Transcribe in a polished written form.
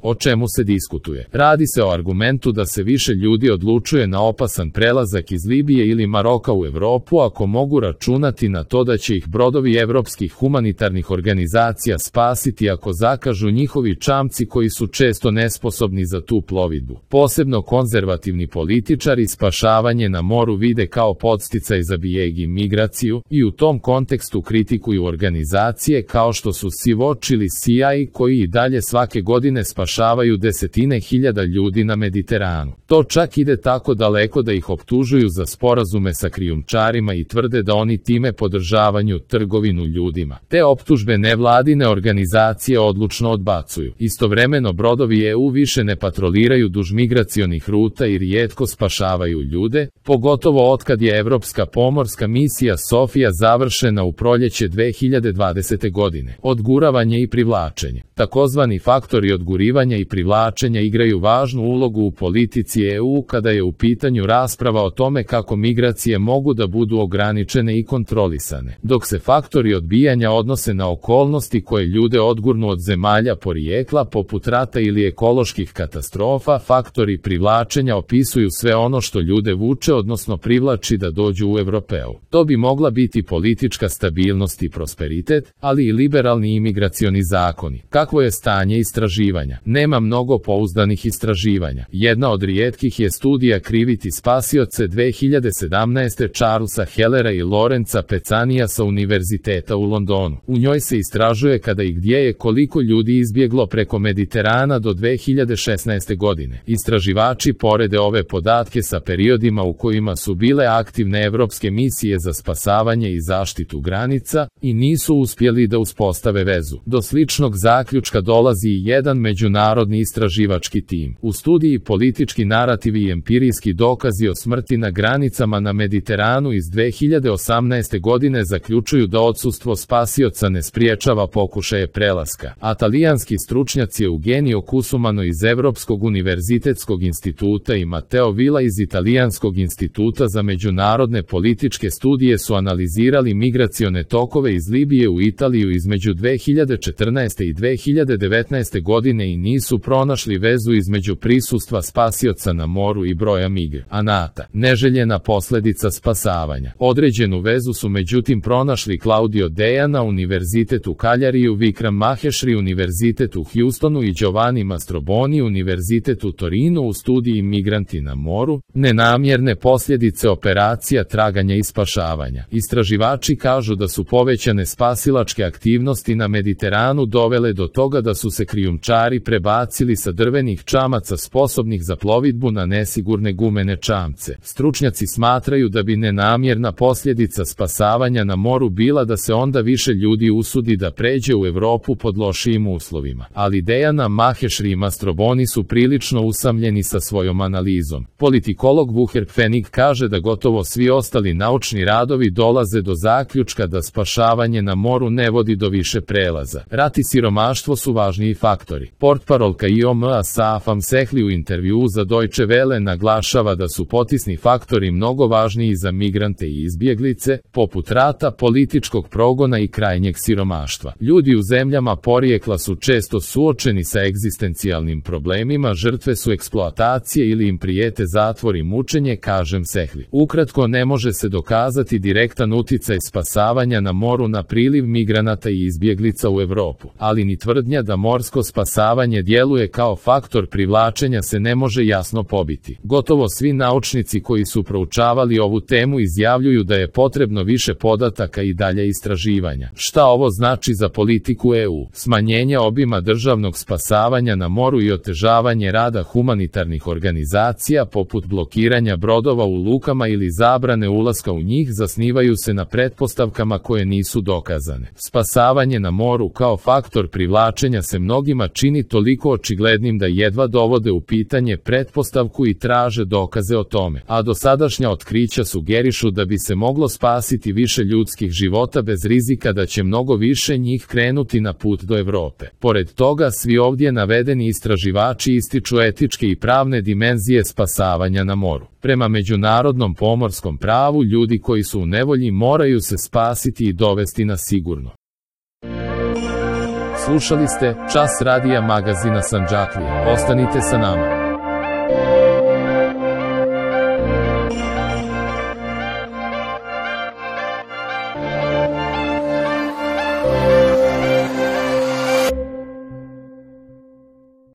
O čemu se diskutuje? Radi se o argumentu da se više ljudi odlučuje na opasan prelazak iz Libije ili Maroka u Evropu ako mogu računati na to da će ih brodovi evropskih humanitarnih organizacija spasiti ako zakažu njihovi čamci koji su često nesposobni za tu plovidbu. Posebno konzervativni političari spašavanje na moru vide kao podsticaj za bijeg i migraciju i u tom kontekstu kritikuju organizacije kao što su Sea-Watch ili CIA koji i dalje svake godine spašavaju desetine hiljada ljudi na Mediteranu. To čak ide tako daleko da ih optužuju za sporazume sa krijumčarima i tvrde da oni time podržavaju trgovinu ljudima. Te optužbe nevladine organizacije odlučno odbacuju. Istovremeno brodovi EU više ne patroliraju duž migracionih ruta i rijetko spašavaju ljude, pogotovo otkad je Evropska pomorska misija Sofija završena u proljeće 2020. godine. Odguravanje i privlačenje. Takozvani faktori odgurivanja i privlačenja igraju važnu ulogu u politici EU kada je u pitanju rasprava o tome kako migracije mogu da budu ograničene i kontrolisane, dok se faktori odbijanja odnose na okolnosti koje ljude odgurnu od zemalja porijekla poput rata ili ekoloških katastrofa. Faktori privlačenja opisuju sve ono što ljude vuče odnosno privlači da dođu u Evropeu. To bi mogla biti politička stabilnost i prosperitet, ali i liberalni imigracioni zakoni. Kakvo je stanje istraživanja? Nema mnogo pouzdanih istraživanja. Jedna od rijetkih je studija Kriviti spasioce 2017. Charlesa Hellera i Lorenza Pecanija sa Univerziteta u Londonu. U njoj se istražuje kada i gdje je koliko ljudi izbjeglo preko Mediterana do 2016. godine. Istraživači porede ove podatke sa periodima u kojima su bile aktivne evropske misije za spasavanje i zaštitu granica i nisu uspjeli da uspostave vezu. Do sličnog zaključka dolazi i jedan međunarodni istraživački tim. U studiji Politički narativi i empirijski dokazi o smrti na granicama na Mediteranu iz 2018. godine zaključuju da odsustvo spasioca ne spriječava pokušaje prelaska. A talijanski stručnjaci Eugenio Cusumano iz Evropskog univerzitetskog instituta i Matteo Villa iz Italijanskog instituta za međunarodne političke studije su analizirali migracione tokove iz Libije u Italiju između 2014. i 2019. godine i nisu pronašli vezu između prisustva spasioca na moru i broja migranata. Neželjena posljedica spasavanja. Određenu vezu su međutim pronašli Claudio Dejana, Univerzitet u Kaljariju, Vikram Maheshri, Univerzitet u Houstonu i Giovanni Mastroboni, Univerzitet u Torinu u studiji Migranti na moru, nenamjerne posljedice operacija traganja i spašavanja. Istraživači kažu da su povećane spasilačke aktivnosti na Mediteranu dovele do toga da su se krijumčari prebacili sa drvenih čamaca sposobnih za plovidbu na nesigurne gumene čamce. Stručnjaci smatraju da bi nenamjerna posljedica spasavanja na moru bila da se onda više ljudi usudi da pređe u Evropu pod lošijim uslovima. Ali Dejana Maheshri i Mastroboni su prilično usamljeni sa svojom analizom. Politikolog Vuher Pfennig kaže da gotovo svi ostali naučni radovi dolaze do zaključka da spašavanje na moru ne vodi do više prelaza. Rat i siromaštvo su važniji faktori. Portparolka IOM-a Safam Sehli u intervjuu za Deutsche Welle naglašava da su potisni faktori mnogo važniji za migrante i izbjeglice, poput rata, političkog progona i krajnjeg siromaštva. Ljudi u zemljama porijekla su često suočeni sa egzistencijalnim problemima, žrtve su eksploatacije ili im prijete zatvor i mučenje, kažem Sehli. Ukratko, ne može se dokazati direktan uticaj spasavanja na moru na priliv migranata i izbjeglica u Evropu, ali ni tvrdnja da morsko spasavanje djeluje kao faktor privlačenja se ne može jasno pobiti. Gotovo svi naučnici koji su proučavali ovu temu izjavljuju da je potrebno više podataka i dalje istraživanja. Šta ovo znači za politiku EU? Smanjenje obima državnog spasavanja na moru i otežavanje rada humanitarnih organizacija poput blokiranja brodova u lukama ili zabrane ulaska u njih zasnivaju se na pretpostavkama koje nisu dokazane. Spasavanje na moru kao faktor privlačenja se mnogima čini toliko očiglednim da jedva dovode u pitanje pretpostavku i traže dokaze o tome, a dosadašnja otkrića sugerišu da bi se moglo spasiti više ljudskih života bez rizika da će mnogo više njih krenuti na put do Evrope. Pored toga, svi ovdje navedeni istraživači ističu etičke i pravne dimenzije spasavanja na moru. Prema međunarodnom pomorskom pravu, ljudi koji su u nevolji moraju se spasiti i dovesti na sigurno. Slušali ste Čas radija magazina Sandžaklija. Ostanite sa nama.